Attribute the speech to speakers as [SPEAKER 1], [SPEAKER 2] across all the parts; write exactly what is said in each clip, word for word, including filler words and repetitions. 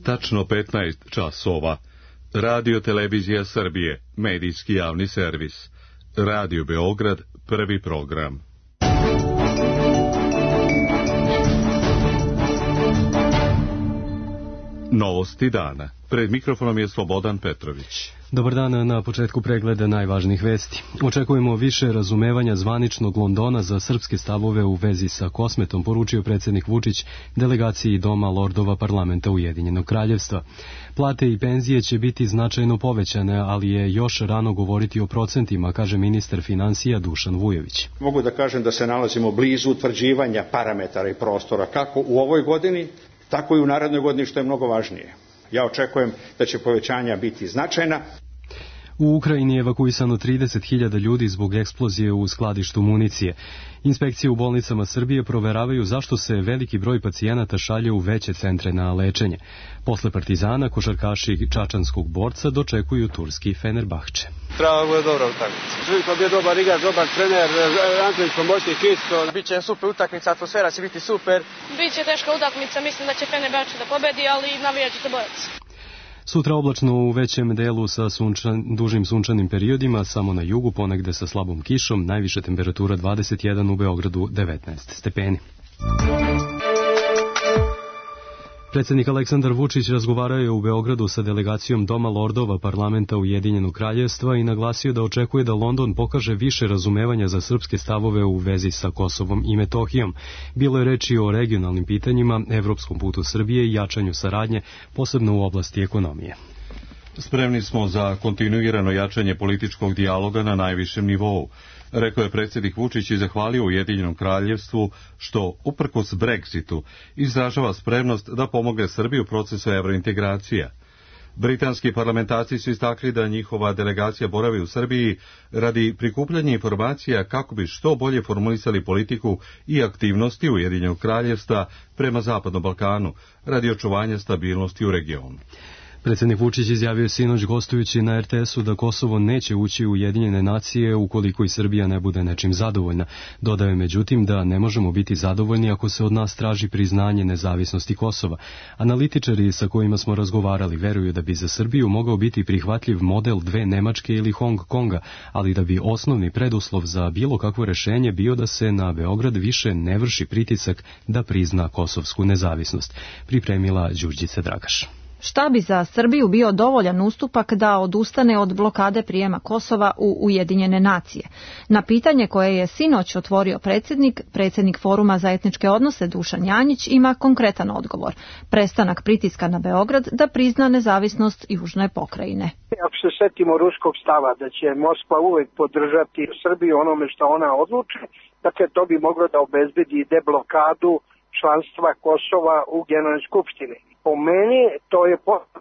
[SPEAKER 1] tačno petnaest časova. Radio Televizija Srbije, medijski javni servis. Radio Beograd, prvi program. Novosti dana. Pred mikrofonom je Slobodan Petrović.
[SPEAKER 2] Dobar dan, na početku pregleda najvažnijih vesti. Očekujemo više razumevanja zvaničnog Londona za srpske stavove u vezi sa Kosmetom, poručio predsjednik Vučić delegaciji Doma lordova parlamenta Ujedinjenog kraljevstva. Plate i penzije će biti značajno povećane, ali je još rano govoriti o procentima, kaže ministar finansija Dušan Vujović.
[SPEAKER 3] Mogu da kažem da se nalazimo blizu utvrđivanja parametara i prostora kako u ovoj godini, tako i u narednoj godini, što je mnogo važnije. Ja očekujem da će povećanja biti značajna.
[SPEAKER 2] U Ukrajini je evakuisano trideset hiljada ljudi zbog eksplozije u skladištu municije. Inspekcije u bolnicama Srbije proveravaju zašto se veliki broj pacijenata šalje u veće centre na lečenje. Posle Partizana, košarkaši čačanskog borca dočekuju turski Fenerbahče.
[SPEAKER 4] Treba bude dobra utakmica. Živko bio dobar igrač, dobar trener, Antonić pomoćnik isto. Biće super utakmica, atmosfera će biti super.
[SPEAKER 5] Biće teška utakmica, mislim da će Fenerbahče da pobedi, ali navijat će se borac.
[SPEAKER 2] Sutra oblačno u većem delu sa sunčan, dužim sunčanim periodima, samo na jugu ponegde sa slabom kišom, najviša temperatura dvadeset jedan, u Beogradu devetnaest stepeni. Predsjednik Aleksandar Vučić razgovarao je u Beogradu sa delegacijom Doma lordova parlamenta Ujedinjenog kraljevstva i naglasio da očekuje da London pokaže više razumevanja za srpske stavove u vezi sa Kosovom i Metohijom. Bilo je reči o regionalnim pitanjima, evropskom putu Srbije i jačanju saradnje, posebno u oblasti ekonomije.
[SPEAKER 1] Spremni smo za kontinuirano jačanje političkog dijaloga na najvišem nivou, rekao je predsjednik Vučić i zahvalio Ujedinjenom kraljevstvu što, uprkos Brexitu, izražava spremnost da pomogne Srbiji u procesu evrointegracija. Britanski parlamentarci su istakli da njihova delegacija boravi u Srbiji radi prikupljanja informacija kako bi što bolje formulisali politiku i aktivnosti Ujedinjenog kraljevstva prema Zapadnom Balkanu, radi očuvanja stabilnosti u regionu.
[SPEAKER 2] Predsjednik Vučić izjavio sinoć gostujući na er te esu da Kosovo neće ući u Ujedinjene nacije ukoliko i Srbija ne bude nečim zadovoljna. Dodao je međutim da ne možemo biti zadovoljni ako se od nas traži priznanje nezavisnosti Kosova. Analitičari sa kojima smo razgovarali veruju da bi za Srbiju mogao biti prihvatljiv model dve Nemačke ili Hong Konga, ali da bi osnovni preduslov za bilo kakvo rešenje bio da se na Beograd više ne vrši pritisak da prizna kosovsku nezavisnost. Pripremila Đurđica Dragaš.
[SPEAKER 6] Šta bi za Srbiju bio dovoljan ustupak da odustane od blokade prijema Kosova u Ujedinjene nacije? Na pitanje koje je sinoć otvorio predsjednik, predsjednik Foruma za etničke odnose Dušan Janjić ima konkretan odgovor. Prestanak pritiska na Beograd da prizna nezavisnost južne pokrajine.
[SPEAKER 7] Ako se setimo ruskog stava da će Moskva uvek podržati Srbiju onome što ona odluči, dakle to bi moglo da obezbedi deblokadu članstva Kosova u Generalnoj skupštini. Po meni to je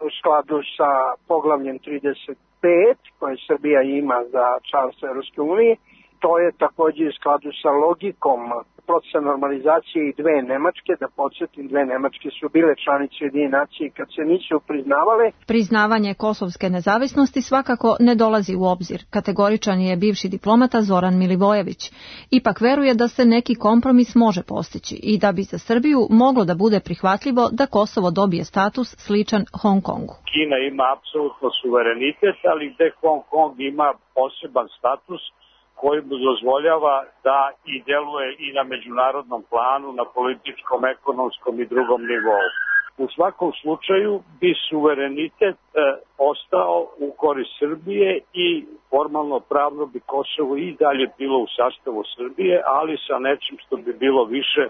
[SPEAKER 7] u skladu sa poglavljem trideset pet koje Srbija ima za članstvo Evropske unije. To je također u skladu sa logikom procesa normalizacije i dve Nemačke. Da podsjetim, dve Nemačke su bile članice Ujedinjenih nacija kad se nisu priznavale.
[SPEAKER 6] Priznavanje kosovske nezavisnosti svakako ne dolazi u obzir. Kategoričan je bivši diplomata Zoran Milivojević. Ipak veruje da se neki kompromis može postići i da bi za Srbiju moglo da bude prihvatljivo da Kosovo dobije status sličan Hong Kongu.
[SPEAKER 8] Kina ima apsolutno suverenitet, ali gde Hong Kong ima poseban status koji mu dozvoljava da i deluje i na međunarodnom planu, na političkom, ekonomskom i drugom nivou. U svakom slučaju bi suverenitet e, ostao u korist Srbije i formalno pravno bi Kosovo i dalje bilo u sastavu Srbije, ali sa nečim što bi bilo više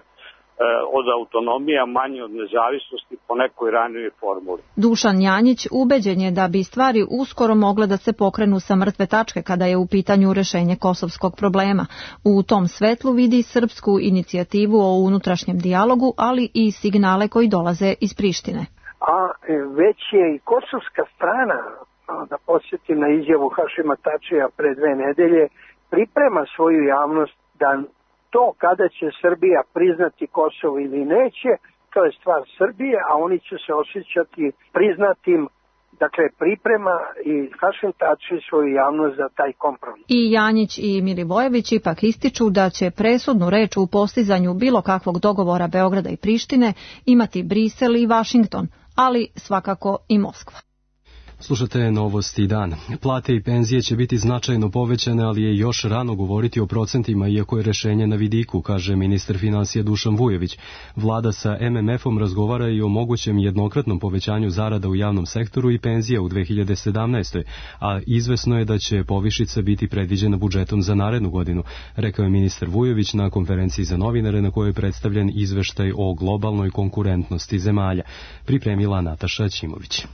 [SPEAKER 8] od autonomija, manje od nezavisnosti po nekoj ranijoj formuli.
[SPEAKER 6] Dušan Janjić ubeđen je da bi stvari uskoro mogle da se pokrenu sa mrtve tačke kada je u pitanju rešenje kosovskog problema. U tom svetlu vidi srpsku inicijativu o unutrašnjem dijalogu, ali i signale koji dolaze iz Prištine.
[SPEAKER 7] A već je i kosovska strana, da podsjetim na izjavu Hašima Tačija pre dve nedelje, priprema svoju javnost da to kada će Srbija priznati Kosovo ili neće, to je stvar Srbije, a oni će se osjećati priznatim. Dakle, priprema i Hašim Tači svoju javnost za taj kompromis.
[SPEAKER 6] I Janjić i Milivojević ipak ističu da će presudnu reč u postizanju bilo kakvog dogovora Beograda i Prištine imati Brisel i Vašington, ali svakako i Moskva.
[SPEAKER 2] Slušate Novosti dan. Plate i penzije će biti značajno povećane, ali je još rano govoriti o procentima, iako je rešenje na vidiku, kaže ministar finansija Dušan Vujović. Vlada sa M M F-om razgovara i o mogućem jednokratnom povećanju zarada u javnom sektoru i penzija u dve hiljade sedamnaestoj. a izvesno je da će povišica biti predviđena budžetom za narednu godinu, rekao je ministar Vujović na konferenciji za novinare na kojoj je predstavljen izveštaj o globalnoj konkurentnosti zemalja. Pripremila Nataša Ćimović.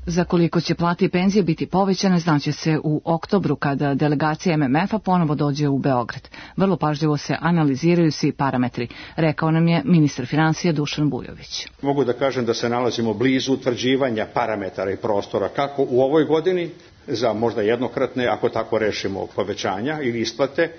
[SPEAKER 9] Za koliko će plate i penzije biti povećane znaće se u oktobru kada delegacija M M F-a ponovo dođe u Beograd. Vrlo pažljivo se analiziraju svi parametri, rekao nam je ministar finansija Dušan Vujović.
[SPEAKER 3] Mogu da kažem da se nalazimo blizu utvrđivanja parametara i prostora kako u ovoj godini za možda jednokratne, ako tako rešimo, povećanja ili isplate,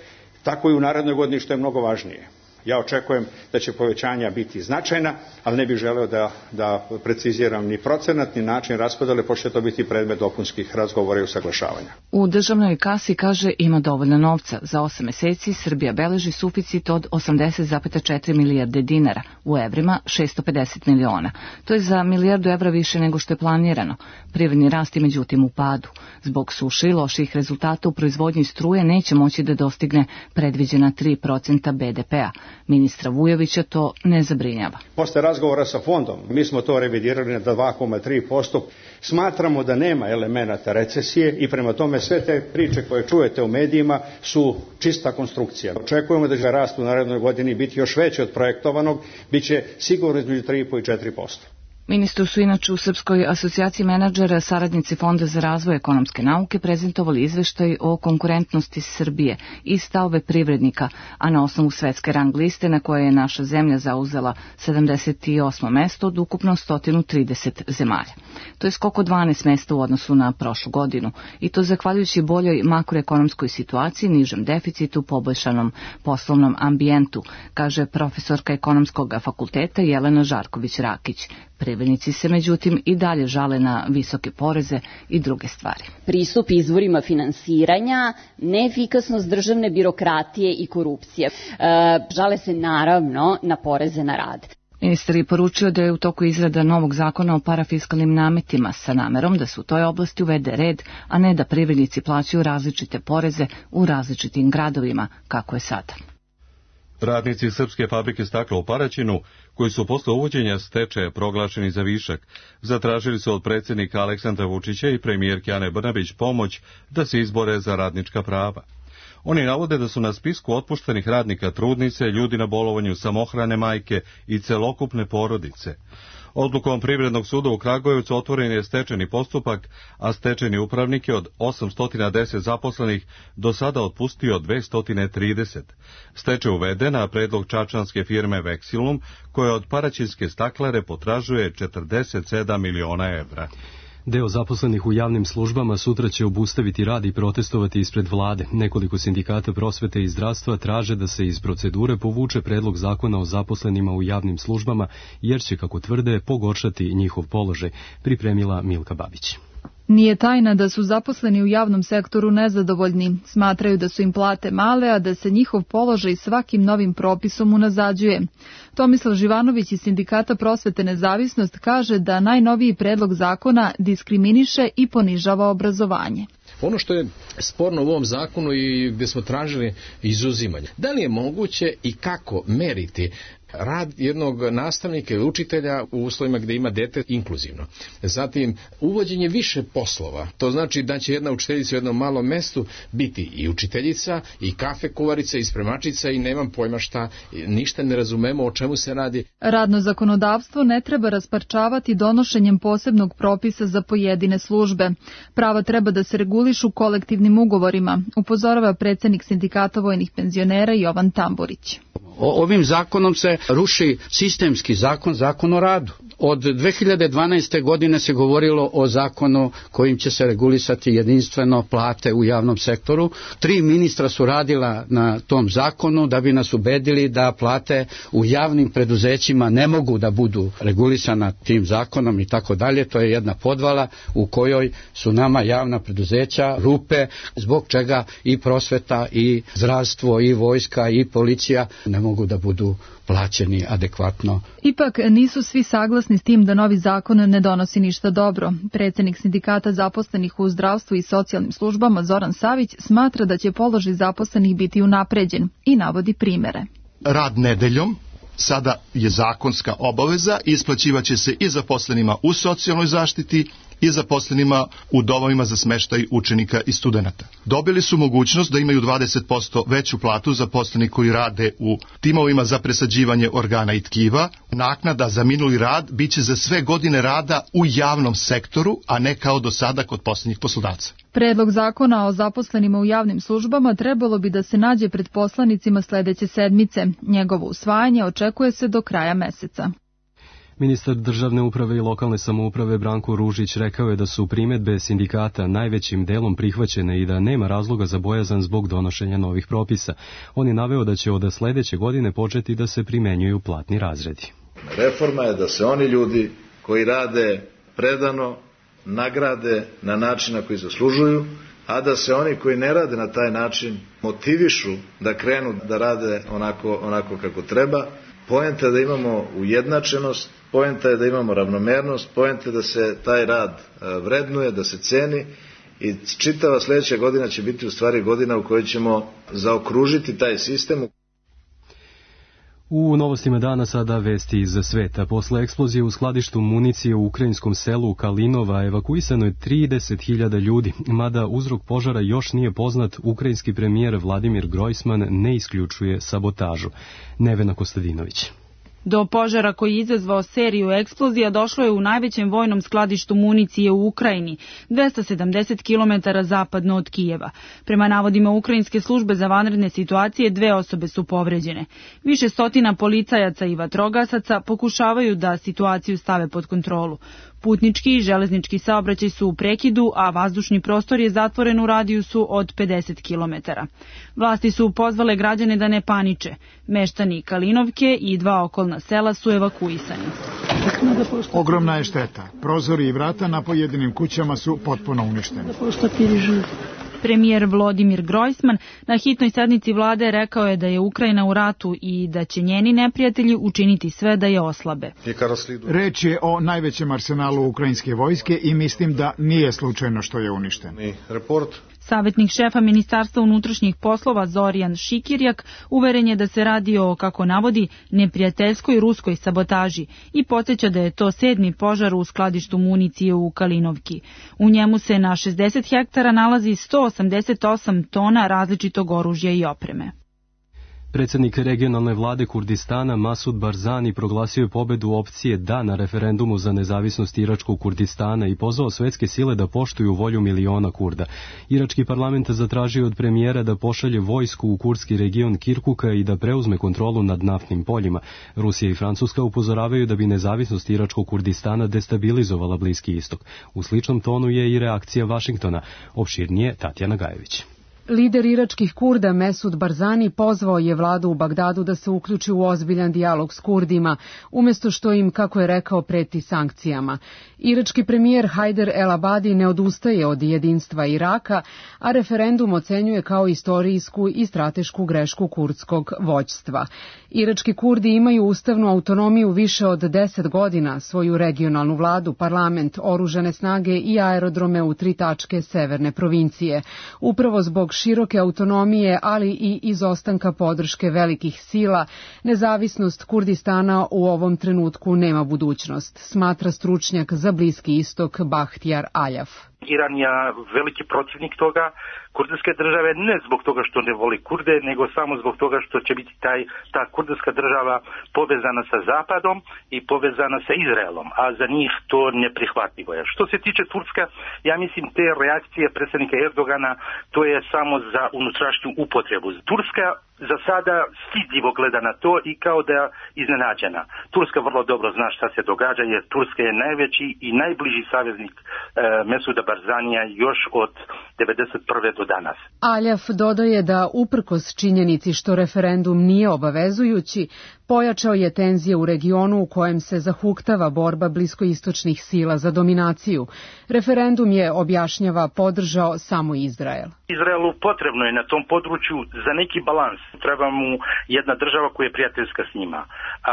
[SPEAKER 3] tako i u narednoj godini, što je mnogo važnije. Ja očekujem da će povećanja biti značajna, ali ne bih želeo da, da preciziram ni procenat, ni način raspodele, pošto će to biti predmet dopunskih razgovora i usaglašavanja.
[SPEAKER 9] U državnoj kasi, kaže, ima dovoljno novca. Za osam meseci Srbija beleži suficit od osamdeset zarez četiri milijarde dinara, u evrima šesto pedeset miliona. To je za milijardu evra više nego što je planirano. Privredni rast je međutim u padu. Zbog suše i loših rezultata u proizvodnji struje neće moći da dostigne predviđena tri procenta B D P-a. Ministra Vujovića to ne zabrinjava.
[SPEAKER 3] Posle razgovora sa fondom, mi smo to revidirali na dva zarez tri posto. Smatramo da nema elemenata recesije i prema tome sve te priče koje čujete u medijima su čista konstrukcija. Očekujemo da će rast u narednoj godini biti još veći od projektovanog, bit će sigurno između tri i po i četiri posto.
[SPEAKER 9] Ministru su inače u Srpskoj asocijaciji menadžera saradnici Fonda za razvoj ekonomske nauke prezentovali izveštaj o konkurentnosti Srbije i stavove privrednika, a na osnovu svetske rang liste na kojoj je naša zemlja zauzela sedamdeset osmo mesto od ukupno sto trideset zemalja. To je skok od dvanaest mesta u odnosu na prošlu godinu i to zahvaljujući boljoj makroekonomskoj situaciji, nižem deficitu, poboljšanom poslovnom ambijentu, kaže profesorka ekonomskog fakulteta Jelena Žarković-Rakić. Privrednici se međutim i dalje žale na visoke poreze i druge stvari.
[SPEAKER 10] Pristup izvorima finansiranja, neefikasnost državne birokratije i korupcije. E, žale se naravno na poreze na rad.
[SPEAKER 9] Ministar je poručio da je u toku izrada novog zakona o parafiskalnim nametima sa namerom da se u toj oblasti uvede red, a ne da privrednici plaćaju različite poreze u različitim gradovima, kako je sada.
[SPEAKER 1] Radnici Srpske fabrike stakla u Paraćinu, koji su posle uvođenja stečaja proglašeni za višak, zatražili su od predsjednika Aleksandra Vučića i premijerke Ane Brnabić pomoć da se izbore za radnička prava. Oni navode da su na spisku otpuštenih radnika trudnice, ljudi na bolovanju, samohrane majke i celokupne porodice. Odlukom Privrednog suda u Kragujevcu otvoren je stečajni postupak, a stečajni upravnik je od osamsto deset zaposlenih do sada otpustio dvesta trideset. Stečaj uveden na predlog čačanske firme Vexilum, koja od paraćinske staklare potražuje četrdeset sedam miliona evra.
[SPEAKER 2] Deo zaposlenih u javnim službama sutra će obustaviti rad i protestovati ispred vlade. Nekoliko sindikata prosvete i zdravstva traže da se iz procedure povuče predlog zakona o zaposlenima u javnim službama, jer će, kako tvrde, pogoršati njihov položaj, pripremila Milka Babić.
[SPEAKER 11] Nije tajna da su zaposleni u javnom sektoru nezadovoljni. Smatraju da su im plate male, a da se njihov položaj svakim novim propisom unazađuje. Tomislav Živanović iz Sindikata prosvete Nezavisnost kaže da najnoviji predlog zakona diskriminiše i ponižava obrazovanje.
[SPEAKER 12] Ono što je sporno u ovom zakonu i gdje smo tražili izuzimanje, da li je moguće i kako meriti rad jednog nastavnika ili učitelja u uslovima gdje ima dete inkluzivno. Zatim, uvođenje više poslova. To znači da će jedna učiteljica u jednom malom mestu biti i učiteljica, i kafe kuvarica, i spremačica, i nemam pojma šta, ništa ne razumemo o čemu se radi.
[SPEAKER 11] Radno zakonodavstvo ne treba rasparčavati donošenjem posebnog propisa za pojedine službe. Prava treba da se regulišu kolektivnim ugovorima, upozorava predsjednik Sindikata vojnih penzionera Jovan Tamburić.
[SPEAKER 13] Ovim zakonom se ruši sistemski zakon, zakon o radu. Od dve hiljade dvanaeste. godine se govorilo o zakonu kojim će se regulisati jedinstveno plate u javnom sektoru. Tri ministra su radila na tom zakonu da bi nas ubedili da plate u javnim preduzećima ne mogu da budu regulisana tim zakonom i tako dalje. To je jedna podvala u kojoj su nama javna preduzeća rupe, zbog čega i prosveta, i zdravstvo, i vojska, i policija ne mogu da budu plaćeni adekvatno.
[SPEAKER 11] Ipak nisu svi saglasni saglasni s tim da novi zakon ne donosi ništa dobro. Predsednik sindikata zaposlenih u zdravstvu i socijalnim službama Zoran Savić smatra da će položaj zaposlenih biti unapređen i navodi primere.
[SPEAKER 14] Rad nedeljom sada je zakonska obaveza, isplaćivaće se i zaposlenima u socijalnoj zaštiti i zaposlenima u domovima za smeštaj učenika i studenata. Dobili su mogućnost da imaju dvadeset posto veću platu zaposleni koji rade u timovima za presađivanje organa i tkiva. Naknada za minuli rad biće za sve godine rada u javnom sektoru, a ne kao do sada kod poslednjih poslodavca.
[SPEAKER 11] Predlog zakona o zaposlenima u javnim službama trebalo bi da se nađe pred poslanicima sledeće sedmice. Njegovo usvajanje očekuje se do kraja meseca.
[SPEAKER 2] Ministar državne uprave i lokalne samouprave Branko Ružić rekao je da su primedbe sindikata najvećim delom prihvaćene i da nema razloga za bojazan zbog donošenja novih propisa. On je naveo da će od sledeće godine početi da se primenjuju platni razredi.
[SPEAKER 15] Reforma je da se oni ljudi koji rade predano nagrade na način na koji zaslužuju, a da se oni koji ne rade na taj način motivišu da krenu da rade onako, onako kako treba. Poenta je da imamo ujednačenost, poenta je da imamo ravnomernost, poenta je da se taj rad vrednuje, da se ceni i čitava sledeća godina će biti u stvari godina u kojoj ćemo zaokružiti taj sistem.
[SPEAKER 2] U novostima dana sada vesti iz sveta. Posle eksplozije u skladištu municije u ukrajinskom selu Kalinova evakuisano je trideset hiljada ljudi, mada uzrok požara još nije poznat, ukrajinski premijer Vladimir Grojsman ne isključuje sabotažu. Nevena Kostadinović.
[SPEAKER 16] Do požara koji je izazvao seriju eksplozija došlo je u najvećem vojnom skladištu municije u Ukrajini, dvesta sedamdeset kilometara zapadno od Kijeva. Prema navodima ukrajinske službe za vanredne situacije, dve osobe su povređene. Više stotina policajaca i vatrogasaca pokušavaju da situaciju stave pod kontrolu. Putnički i železnički saobraćaj su u prekidu, a vazdušni prostor je zatvoren u radijusu od pedeset kilometara. Vlasti su pozvale građane da ne paniče. Meštani Kalinovke i dva okolna sela su evakuisani.
[SPEAKER 17] Ogromna je šteta. Prozori i vrata na pojedinim kućama su potpuno uništeni.
[SPEAKER 16] Premijer Vladimir Grojsman na hitnoj sednici vlade rekao je da je Ukrajina u ratu i da će njeni neprijatelji učiniti sve da je oslabe.
[SPEAKER 17] Reč je o najvećem arsenalu ukrajinske vojske i mislim da nije slučajno što je uništen.
[SPEAKER 16] Savjetnik šefa Ministarstva unutrašnjih poslova Zorijan Šikirjak uveren je da se radi o, kako navodi, neprijateljskoj ruskoj sabotaži i podsjeća da je to sedmi požar u skladištu municije u Kalinovki. U njemu se na šezdeset hektara nalazi sto osamdeset osam tona različitog oružja i opreme.
[SPEAKER 2] Predsednik regionalne vlade Kurdistana Masud Barzani proglasio je pobedu opcije da na referendumu za nezavisnost Iračkog Kurdistana i pozvao svetske sile da poštuju volju miliona Kurda. Irački parlament zatražio od premijera da pošalje vojsku u kurdski region Kirkuka i da preuzme kontrolu nad naftnim poljima. Rusija i Francuska upozoravaju da bi nezavisnost Iračkog Kurdistana destabilizovala Bliski istok. U sličnom tonu je i reakcija Vašingtona. Opširnije Tatjana Gajević.
[SPEAKER 18] Lider iračkih Kurda Mesud Barzani pozvao je vladu u Bagdadu da se uključi u ozbiljan dijalog s Kurdima, umjesto što im, kako je rekao, preti sankcijama. Irački premijer Hajder El Abadi ne odustaje od jedinstva Iraka, a referendum ocenjuje kao istorijsku i stratešku grešku kurdskog vođstva. Irački Kurdi imaju ustavnu autonomiju više od deset godina, svoju regionalnu vladu, parlament, oružane snage i aerodrome u tri tačke severne provincije. Upravo zbog široke autonomije, ali i izostanka podrške velikih sila, nezavisnost Kurdistana u ovom trenutku nema budućnost, smatra stručnjak za Bliski istok Bahtjar Aljaf.
[SPEAKER 19] Iran je veliki protivnik toga, kurdske države, ne zbog toga što ne voli Kurde, nego samo zbog toga što će biti taj, ta kurdska država povezana sa Zapadom i povezana sa Izraelom, a za njih to neprihvatljivo je. Što se tiče Turska, ja mislim te reakcije predsjednika Erdogana, to je samo za unutrašnju upotrebu. Turska za sada stidljivo gleda na to i kao da je iznenađena. Turska vrlo dobro zna šta se događa, jer Turska je najveći i najbliži saveznik e, Mesuda Barzanija još od devedeset prve do danas.
[SPEAKER 18] Aljaf dodaje da uprkos činjenici što referendum nije obavezujući, pojačao je tenzije u regionu u kojem se zahuktava borba bliskoistočnih sila za dominaciju. Referendum je, objašnjava, podržao samo Izrael.
[SPEAKER 19] Izraelu potrebno je na tom području za neki balans Treba mu jedna država koja je prijateljska s njima.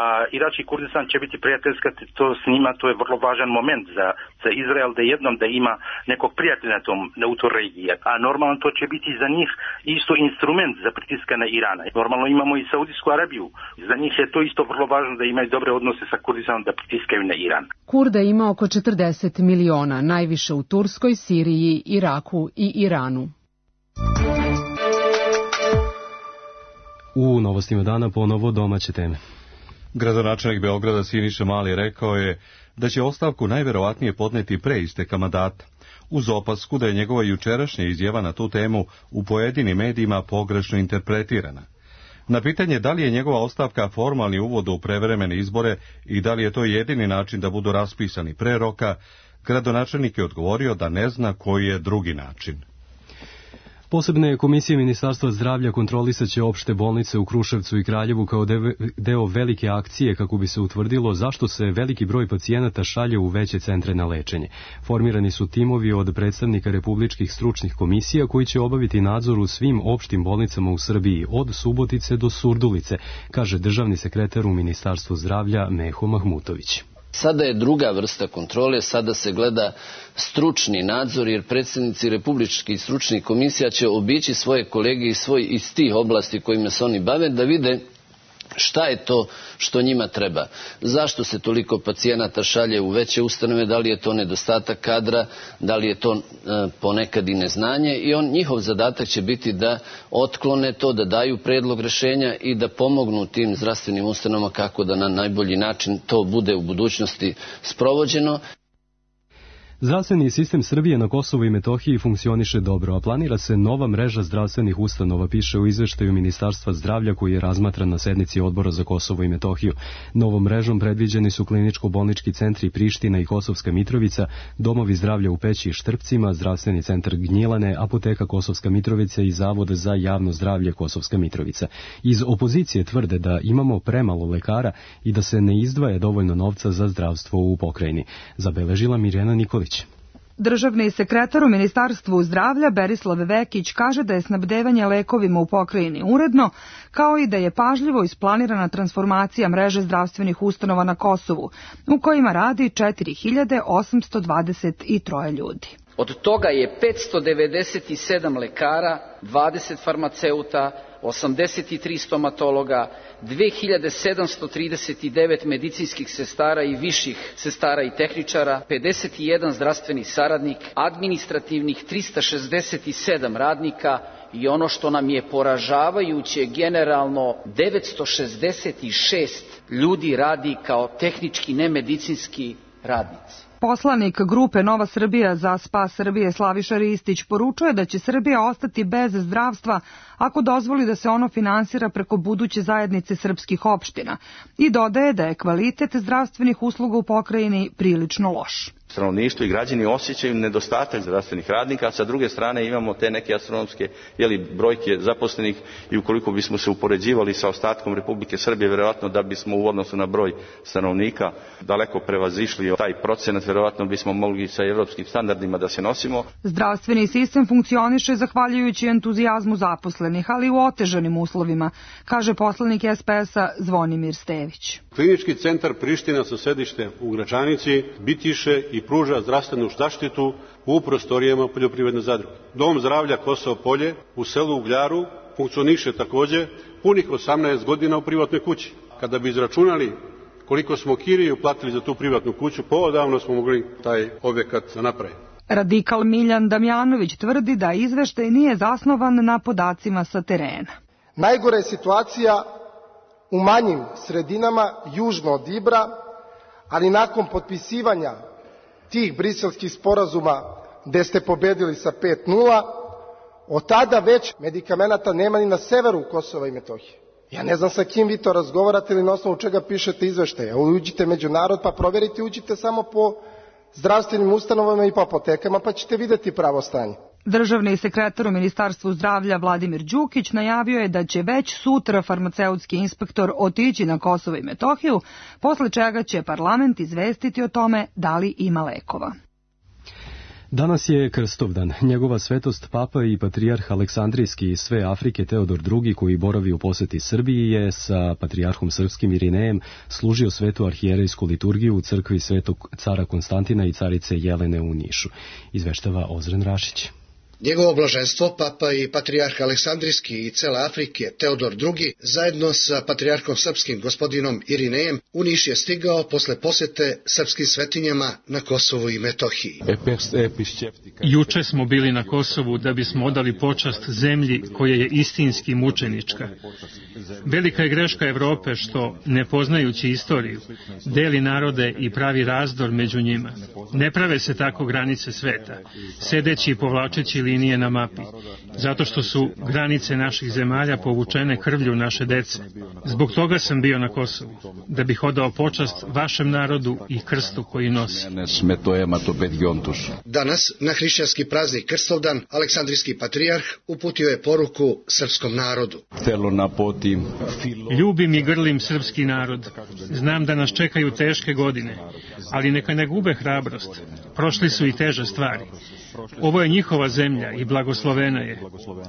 [SPEAKER 19] A Irak i Kurdistan će biti prijateljska to s njima, to je vrlo važan moment za, za Izrael da jednom da ima nekog prijatelja na tom, na u toj regiji. A normalno to će biti za njih isto instrument za pritiska na Irana. Normalno imamo i Saudijsku Arabiju. Za njih je to isto vrlo važno da imaju dobre odnose sa Kurdistanom da pritiskaju na Iran.
[SPEAKER 18] Kurda ima oko četrdeset miliona, najviše u Turskoj, Siriji, Iraku i Iranu.
[SPEAKER 2] U novostima dana ponovo domaće teme.
[SPEAKER 1] Gradonačelnik Beograda Siniša Mali rekao je da će ostavku najverovatnije podneti pre isteka mandata, uz opasku da je njegova jučerašnja izjava na tu temu u pojedinim medijima pogrešno interpretirana. Na pitanje da li je njegova ostavka formalni uvod u prevremene izbore i da li je to jedini način da budu raspisani pre roka, gradonačelnik je odgovorio da ne zna koji je drugi način.
[SPEAKER 2] Posebne komisije Ministarstva zdravlja kontrolisaće opšte bolnice u Kruševcu i Kraljevu kao deo velike akcije kako bi se utvrdilo zašto se veliki broj pacijenata šalje u veće centre na lečenje. Formirani su timovi od predstavnika republičkih stručnih komisija koji će obaviti nadzor u svim opštim bolnicama u Srbiji, od Subotice do Surdulice, kaže državni sekretar u Ministarstvu zdravlja Meho Mahmutović.
[SPEAKER 20] Sada je druga vrsta kontrole, sada se gleda stručni nadzor, jer predsednici republičkih stručnih komisija će obići svoje kolege iz, svoj, iz tih oblasti kojima se oni bave da vide šta je to što njima treba. Zašto se toliko pacijenata šalje u veće ustanove, da li je to nedostatak kadra, da li je to e, ponekad i neznanje, i on, njihov zadatak će biti da otklone to, da daju predlog rešenja i da pomognu tim zdravstvenim ustanovama kako da na najbolji način to bude u budućnosti sprovođeno.
[SPEAKER 2] Zdravstveni sistem Srbije na Kosovu i Metohiji funkcioniše dobro, a planira se nova mreža zdravstvenih ustanova, piše u izveštaju Ministarstva zdravlja koji je razmatran na sednici Odbora za Kosovo i Metohiju. Novom mrežom predviđeni su kliničko-bolnički centri Priština i Kosovska Mitrovica, domovi zdravlja u Peći i Štrpcima, zdravstveni centar Gnjilane, apoteka Kosovska Mitrovica i Zavod za javno zdravlje Kosovska Mitrovica. Iz opozicije tvrde da imamo premalo lekara i da se ne izdvaja dovoljno novca za zdravstvo u pokrajini, zabeležila Mirjana Nikolić.
[SPEAKER 21] Državni sekretar u Ministarstvu zdravlja Berislav Vekić kaže da je snabdevanje lekovima u pokrajini uredno, kao i da je pažljivo isplanirana transformacija mreže zdravstvenih ustanova na Kosovu, u kojima radi četiri hiljade osamsto dvadeset tri ljudi.
[SPEAKER 22] Od toga je petsto devedeset sedam lekara, dvadeset farmaceuta, osamdeset tri stomatologa, dve hiljade sedamsto trideset devet medicinskih sestara i viših sestara i tehničara, pedeset jedan zdravstveni saradnik, administrativnih trista šezdeset sedam radnika i ono što nam je poražavajuće, generalno devetsto šezdeset šest ljudi radi kao tehnički nemedicinski radnici.
[SPEAKER 21] Poslanik grupe Nova Srbija za spas Srbije Slaviša Ristić poručuje da će Srbija ostati bez zdravstva ako dozvoli da se ono finansira preko buduće zajednice srpskih opština i dodaje da je kvalitet zdravstvenih usluga u pokrajini prilično loš.
[SPEAKER 23] Stanovništvo i građani osjećaju nedostatak zdravstvenih radnika, a sa druge strane imamo te neke astronomske jeli, brojke zaposlenih i ukoliko bismo se upoređivali sa ostatkom Republike Srbije, verovatno da bismo u odnosu na broj stanovnika daleko prevazišli taj procenat, verovatno bismo mogli sa evropskim standardima da se nosimo.
[SPEAKER 21] Zdravstveni sistem funkcioniše zahvaljujući entuzijazmu zaposlenih, ali u otežanim uslovima, kaže poslanik es pe es-a Zvonimir Stević.
[SPEAKER 24] Klinički centar Priština sa sedištem u Gračanici bitiše i pruža zdravstvenu zaštitu u prostorijama poljoprivredne zadruge. Dom zdravlja Kosovo Polje u selu Ugljaru funkcioniše takođe punih osamnaest godina u privatnoj kući. Kada bi izračunali koliko smo kiriju platili za tu privatnu kuću, poodavno smo mogli taj objekat napraviti.
[SPEAKER 21] Radikal Miljan Damjanović tvrdi da izveštaj nije zasnovan na podacima sa terena.
[SPEAKER 25] Najgora je situacija u manjim sredinama južno od Ibra, ali nakon potpisivanja tih briselskih sporazuma gde ste pobedili sa pet nula, od tada već medikamenata nema ni na severu Kosova i Metohije. Ja ne znam sa kim vi to razgovarate ili na osnovu čega pišete izveštaje. Uđite među narod pa proverite, uđite samo po zdravstvenim ustanovama i po apotekama pa ćete videti pravo stanje.
[SPEAKER 21] Državni sekretar u Ministarstvu zdravlja Vladimir Đukić najavio je da će već sutra farmaceutski inspektor otići na Kosovo i Metohiju, posle čega će parlament izvestiti o tome da li ima lekova.
[SPEAKER 2] Danas je Krstovdan. Njegova svetost Papa i Patrijarh Aleksandrijski iz sve Afrike Teodor drugi, koji boravi u poseti Srbiji, je sa Patrijarhom Srpskim Irinejem služio svetu arhijerejsku liturgiju u crkvi Svetog cara Konstantina i carice Jelene u Nišu. Izveštava Ozren Rašić.
[SPEAKER 4] Njegovo blaženstvo, Papa i Patrijarh Aleksandrijski i cele Afrike Teodor drugi, zajedno sa Patrijarhom Srpskim gospodinom Irinejem, u Niš je stigao posle posete srpskim svetinjama na Kosovu i Metohiji.
[SPEAKER 5] Juče smo bili na Kosovu da bismo odali počast zemlji koja je istinski mučenička. Velika je greška Evrope što, ne poznajući istoriju, deli narode i pravi razdor među njima. Ne prave se tako granice sveta, sedeći i povlačeći linije na mapi, zato što su granice naših zemalja povučene krvlju naše dece. Zbog toga sam bio na Kosovu, da bih odao počast vašem narodu i krstu koji nosi.
[SPEAKER 4] Danas, na hrišćanski praznik Krstovdan, Aleksandrijski patrijarh uputio je poruku srpskom narodu.
[SPEAKER 5] Ljubim i grlim srpski narod. Znam da nas čekaju teške godine, ali neka ne gube hrabrost. Prošli su i teže stvari. Ovo je njihova zemlja i blagoslovena je.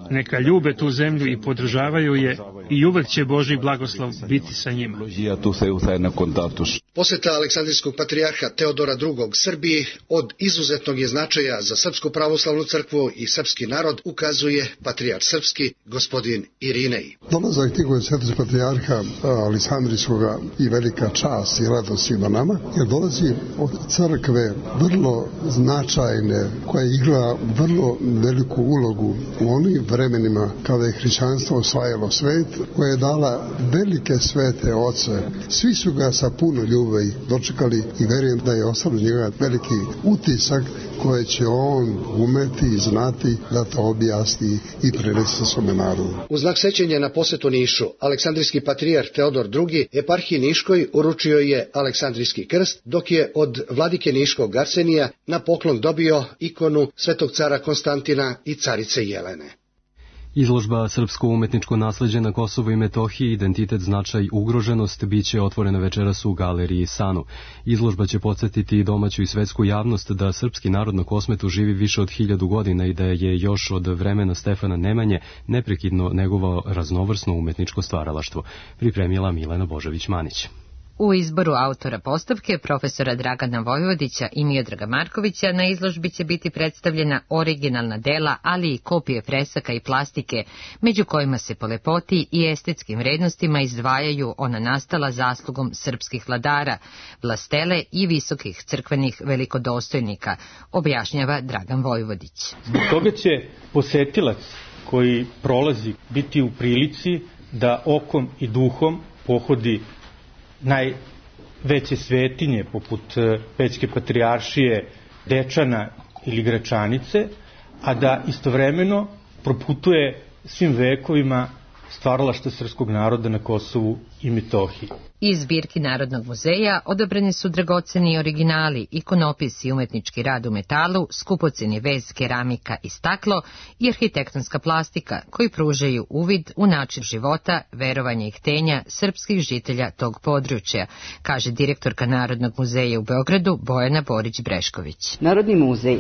[SPEAKER 5] Neka ljube tu zemlju i podržavaju je i uvek će Božji blagoslov biti sa njima.
[SPEAKER 4] Poseta Aleksandrijskog patrijarha Teodora drugog Srbiji od izuzetnog je značaja za Srpsku pravoslavnu crkvu i srpski narod, ukazuje patrijarh srpski gospodin Irinej.
[SPEAKER 6] Dolazak tih svetog patrijarha Aleksandrijskog i velika čast i radost svima nama, jer dolazi od crkve vrlo značajne, koja igra vrlo veliku ulogu u onim vremenima kada je hrišćanstvo osvajalo svet, koja je dala velike svete oce. Svi su ga sa puno ljubavi dočekali i verujem da je ostavio njega veliki utisak koje će on umeti i znati da to objasni i prenese svome narodu.
[SPEAKER 4] U znak sećanja na posetu Nišu, Aleksandrijski patrijarh Teodor drugi eparhiji Niškoj uručio je Aleksandrijski krst, dok je od vladike Niškog Arsenija na poklon dobio ikonu Svetog cara Konstantina i carice Jelene.
[SPEAKER 2] Izložba Srpsko umetničko nasleđe na Kosovu i Metohiji, identitet, značaj, ugroženost, biće otvorena večeras u galeriji Sanu. Izložba će podsjetiti domaću i svetsku javnost da srpski narod na Kosmetu živi više od hiljadu godina i da je još od vremena Stefana Nemanje neprekidno negovao raznovrsno umetničko stvaralaštvo. Pripremila Milena Božović-Manić.
[SPEAKER 7] U izboru autora postavke, profesora Dragana Vojvodića i Miodraga Markovića, na izložbi će biti predstavljena originalna dela, ali i kopije fresaka i plastike, među kojima se po lepoti i estetskim vrednostima izdvajaju ona nastala zaslugom srpskih vladara, vlastele i visokih crkvenih velikodostojnika, objašnjava Dragan Vojvodić.
[SPEAKER 8] Zbog toga će posetilac koji prolazi biti u prilici da okom i duhom pohodi najveće svetinje poput Pećke patrijaršije, Dečana ili Gračanice, a da istovremeno proputuje svim vekovima stvaralaštva srpskog naroda na Kosovu i Metohiji.
[SPEAKER 7] Iz zbirki Narodnog muzeja odabrani su dragoceni originali, ikonopis i umetnički rad u metalu, skupoceni vez, keramika i staklo i arhitektonska plastika, koji pružaju uvid u način života, verovanja i htenja srpskih žitelja tog područja, kaže direktorka Narodnog muzeja u Beogradu Bojana Borić-Brešković.
[SPEAKER 26] Narodni muzej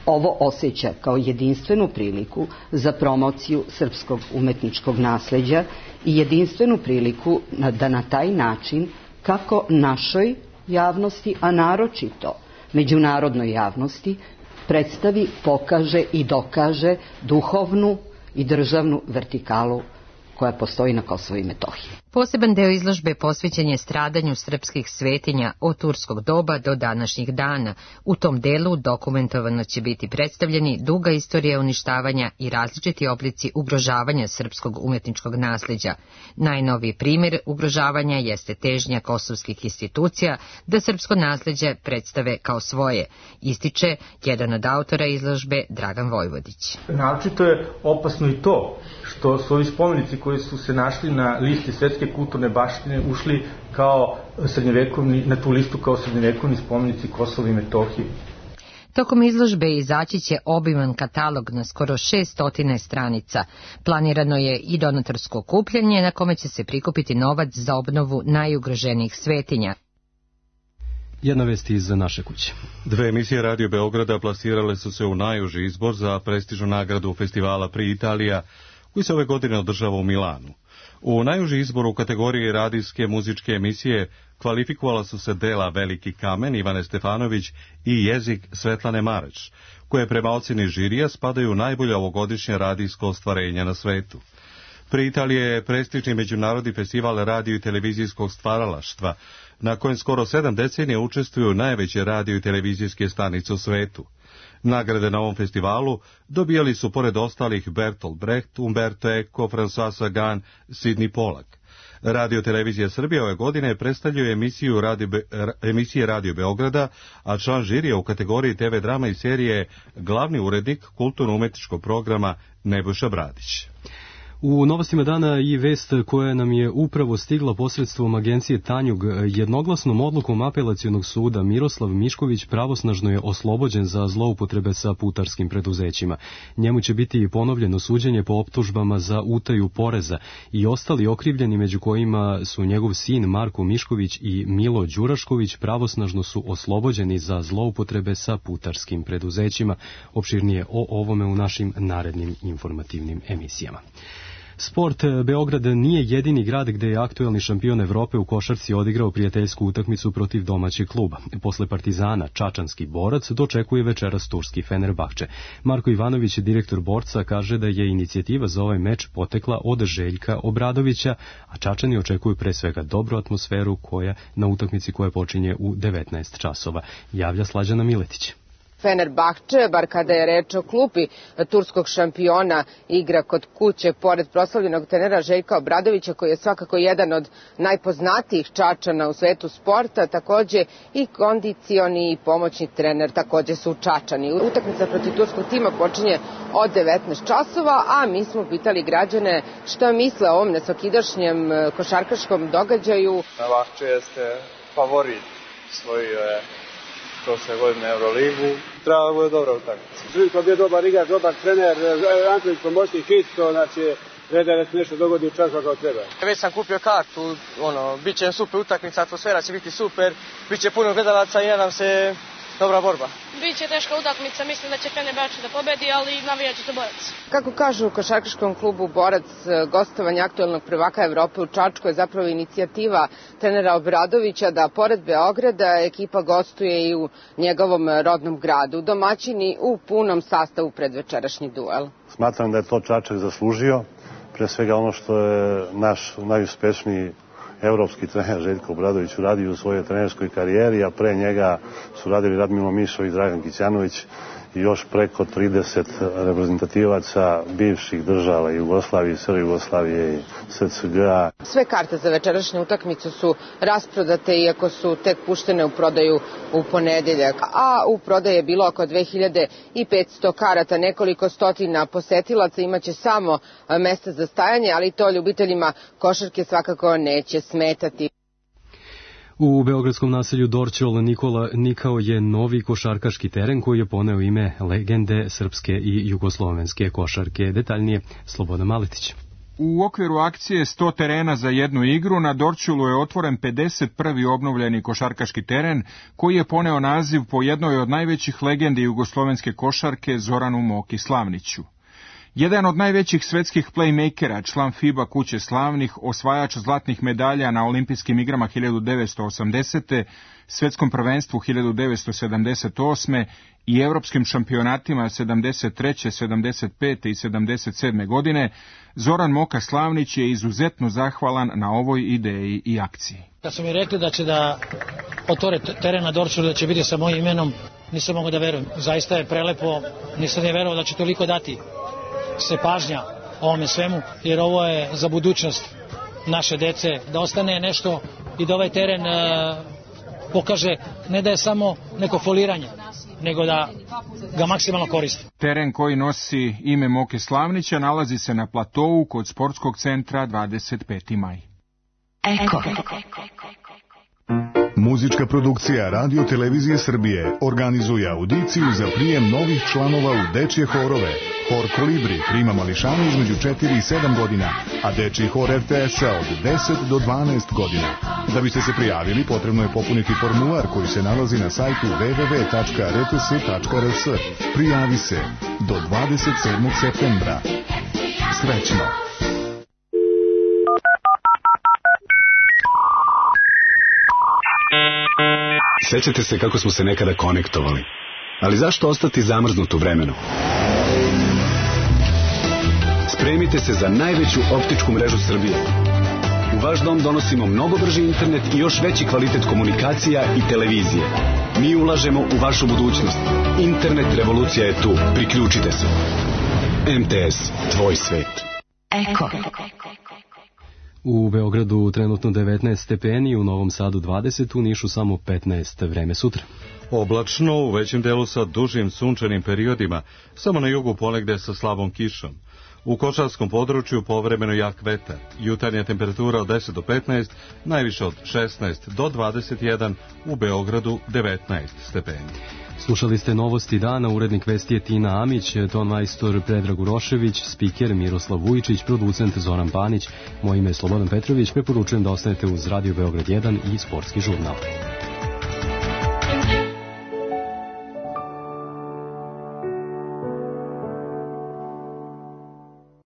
[SPEAKER 26] ovo osjeća kao jedinstvenu priliku za promociju srpskog umetničkog nasleđa i jedinstvenu priliku da na taj način, kako našoj javnosti, a naročito međunarodnoj javnosti, predstavi, pokaže i dokaže duhovnu i državnu vertikalu koja postoji na Kosovu i Metohiji.
[SPEAKER 7] Poseban deo izložbe posvećen je stradanju srpskih svetinja od turskog doba do današnjih dana. U tom delu dokumentovano će biti predstavljeni duga istorija uništavanja i različiti oblici ugrožavanja srpskog umetničkog nasleđa. Najnoviji primjer ugrožavanja jeste težnja kosovskih institucija da srpsko nasleđe predstave kao svoje, ističe jedan od autora izložbe Dragan Vojvodić.
[SPEAKER 8] Naročito je opasno i to što su ovi spomenici koji su se našli na listi svetske kulturne baštine ušli kao srednjevekovni, na tu listu kao srednjevekovni spomenici Kosova i Metohije.
[SPEAKER 7] Tokom izložbe izaći će obiman katalog na skoro šeststo stranica. Planirano je i donatorsko okupljanje na kome će se prikupiti novac za obnovu najugroženijih svetinja.
[SPEAKER 2] Jedna vest iz naše kuće.
[SPEAKER 1] Dve emisije Radio Beograda plasirale su se u najuži izbor za prestižnu nagradu festivala Pri Italija, koji se ove godine održava u Milanu. U najuži izboru u kategoriji radijske muzičke emisije kvalifikovala su se dela Veliki kamen Ivane Stefanović i Jezik Svetlane Mareć, koje prema ocjeni žirija spadaju u najbolje ovogodišnje radijsko ostvarenja na svetu. Pri Italije je prestižni međunarodni festival radio i televizijskog stvaralaštva, na kojem skoro sedam decenija učestvuju najveće radio i televizijske stanice u svetu. Nagrade na ovom festivalu dobijali su pored ostalih Bertolt Brecht, Umberto Eco, François Sagan, Sidney Pollack. Radio Televizija Srbije ove godine predstavljaju emisiju radio Be, emisije Radio Beograda, a član žirija u kategoriji te ve drama i serije glavni urednik kulturno-umetničkog programa Nebojša Bradić.
[SPEAKER 2] U novostima dana i vest koja nam je upravo stigla posredstvom agencije Tanjug. Jednoglasnom odlukom apelacionog suda Miroslav Mišković pravosnažno je oslobođen za zloupotrebe sa putarskim preduzećima. Njemu će biti ponovljeno suđenje po optužbama za utaju poreza i ostali okrivljeni, među kojima su njegov sin Marko Mišković i Milo Đurašković, pravosnažno su oslobođeni za zloupotrebe sa putarskim preduzećima. Opširnije o ovome u našim narednim informativnim emisijama. Sport. Beograd nije jedini grad gde je aktuelni šampion Evrope u košarci odigrao prijateljsku utakmicu protiv domaćeg kluba. Posle Partizana, čačanski Borac dočekuje večeras turski Fenerbahče. Marko Ivanović, direktor Borca, kaže da je inicijativa za ovaj meč potekla od Željka Obradovića, a Čačani očekuju pre svega dobru atmosferu koja na utakmici koja počinje u devetnaest časova. Javlja Slađana Miletić.
[SPEAKER 3] Fenerbahče, bar kada je reč o klupi turskog šampiona, igra kod kuće pored proslavljenog trenera Željka Obradovića, koji je svakako jedan od najpoznatijih Čačana u svetu sporta, takođe i kondicioni i pomoćni trener takođe su Čačani. Utakmica protiv turskog tima počinje od devetnaest časova, a mi smo pitali građane šta misle o ovom nesvakidašnjem košarkaškom događaju.
[SPEAKER 9] Fenerbahče jeste favorit svoju prošle godine Euroligu. Treba da bude dobra utakmica.
[SPEAKER 10] Živko bio dobar igrač, dobar trener, Antonić pomoćnik isto, znači red da se nešto dogodi u času kao treba.
[SPEAKER 9] Već sam kupio kartu, ono, bit će super utakmica, atmosfera će biti super, bit će puno gledalaca i nadam se dobra borba.
[SPEAKER 12] Biće teška utakmica, mislim da će Fenerbahče da pobedi, ali navijat će to Borac.
[SPEAKER 3] Kako kažu u košarkaškom klubu Borac, gostovanje aktuelnog prvaka Evrope u Čačku je zapravo inicijativa trenera Obradovića da pored Beograda ekipa gostuje i u njegovom rodnom gradu. Domaćini u punom sastavu pred večerašnji duel.
[SPEAKER 13] Smatram da je to Čačak zaslužio, pre svega ono što je naš najuspešniji evropski trener Željko Obradović uradio u svojoj trenerskoj karijeri, a pre njega su radili Radmilo Mišović, Dragan Kićanović i još preko trideset reprezentativaca bivših država Jugoslavije, Srbije, Jugoslavije i S C G A.
[SPEAKER 3] Sve karte za večerašnju utakmicu su rasprodate, iako su tek puštene u prodaju u ponedeljak, a u prodaji je bilo oko dve hiljade petsto karata, nekoliko stotina posetilaca, imaće samo mesta za stajanje, ali to ljubiteljima košarke svakako neće smetati.
[SPEAKER 2] U beogradskom naselju Dorćol Nikola Nikao je novi košarkaški teren koji je poneo ime legende srpske i jugoslovenske košarke. Detaljnije Slobodan Maletić.
[SPEAKER 14] U okviru akcije sto terena za jednu igru na Dorćolu je otvoren pedeset prvi obnovljeni košarkaški teren koji je poneo naziv po jednoj od najvećih legendi jugoslovenske košarke Zoranu Moki Slavniću. Jedan od najvećih svetskih playmakera, član FIBA kuće slavnih, osvajač zlatnih medalja na olimpijskim igrama hiljadu devetsto osamdesete, svetskom prvenstvu hiljadu devetsto sedamdeset osme i evropskim šampionatima sedamdeset treće, sedamdeset pete i sedamdeset sedme godine, Zoran Moka Slavnić je izuzetno zahvalan na ovoj ideji i akciji.
[SPEAKER 27] Kad su mi rekli da će da otvore teren na Dorćolu, da će biti sa mojim imenom, nisam mogao da verujem. Zaista je prelepo, nisam ne verovao da će toliko dati se pažnja ovome svemu, jer ovo je za budućnost naše dece, da ostane nešto i da ovaj teren e, pokaže ne da je samo neko foliranje, nego da ga maksimalno koristi.
[SPEAKER 14] Teren koji nosi ime Moke Slavnića nalazi se na platovu kod sportskog centra dvadeset peti maj.
[SPEAKER 28] Eko.
[SPEAKER 11] Muzička produkcija Radio Televizije Srbije organizuje audiciju za prijem novih članova u dečje horove. Hor Kolibri prima mališane između četiri i sedam godina, a dečji hor R T S-a od deset do dvanaest godina. Da biste se prijavili, potrebno je popuniti formular koji se nalazi na sajtu w w w tačka r t s tačka r s. Prijavi se do dvadeset sedmog septembra. Srećno!
[SPEAKER 15] Sećate se kako smo se nekada konektovali, ali zašto ostati zamrznut u vremenu? Spremite se za najveću optičku mrežu Srbije. U vaš dom donosimo mnogo brži internet i još veći kvalitet komunikacija i televizije. Mi ulažemo u vašu budućnost. Internet revolucija je tu. Priključite se. M T S, tvoj svet.
[SPEAKER 7] Eko.
[SPEAKER 2] U Beogradu trenutno devetnaest stepeni, u Novom Sadu dvadeset, u Nišu samo petnaest. Vreme sutra.
[SPEAKER 1] Oblačno, u većem delu sa dužim sunčanim periodima, samo na jugu ponegde sa slabom kišom. U kočarskom području povremeno jak vetar. Jutarnja temperatura od deset do petnaest, najviše od šesnaest do dvadeset jedan, u Beogradu devetnaest stepeni.
[SPEAKER 2] Slušali ste novosti dana, urednik vesti je Tina Amić, ton majstor Predrag Urošević, spiker Miroslav Vujičić, producent Zoran Panić, moje ime je Slobodan Petrović, preporučujem da ostanete uz Radio Beograd jedan i Sportski žurnal.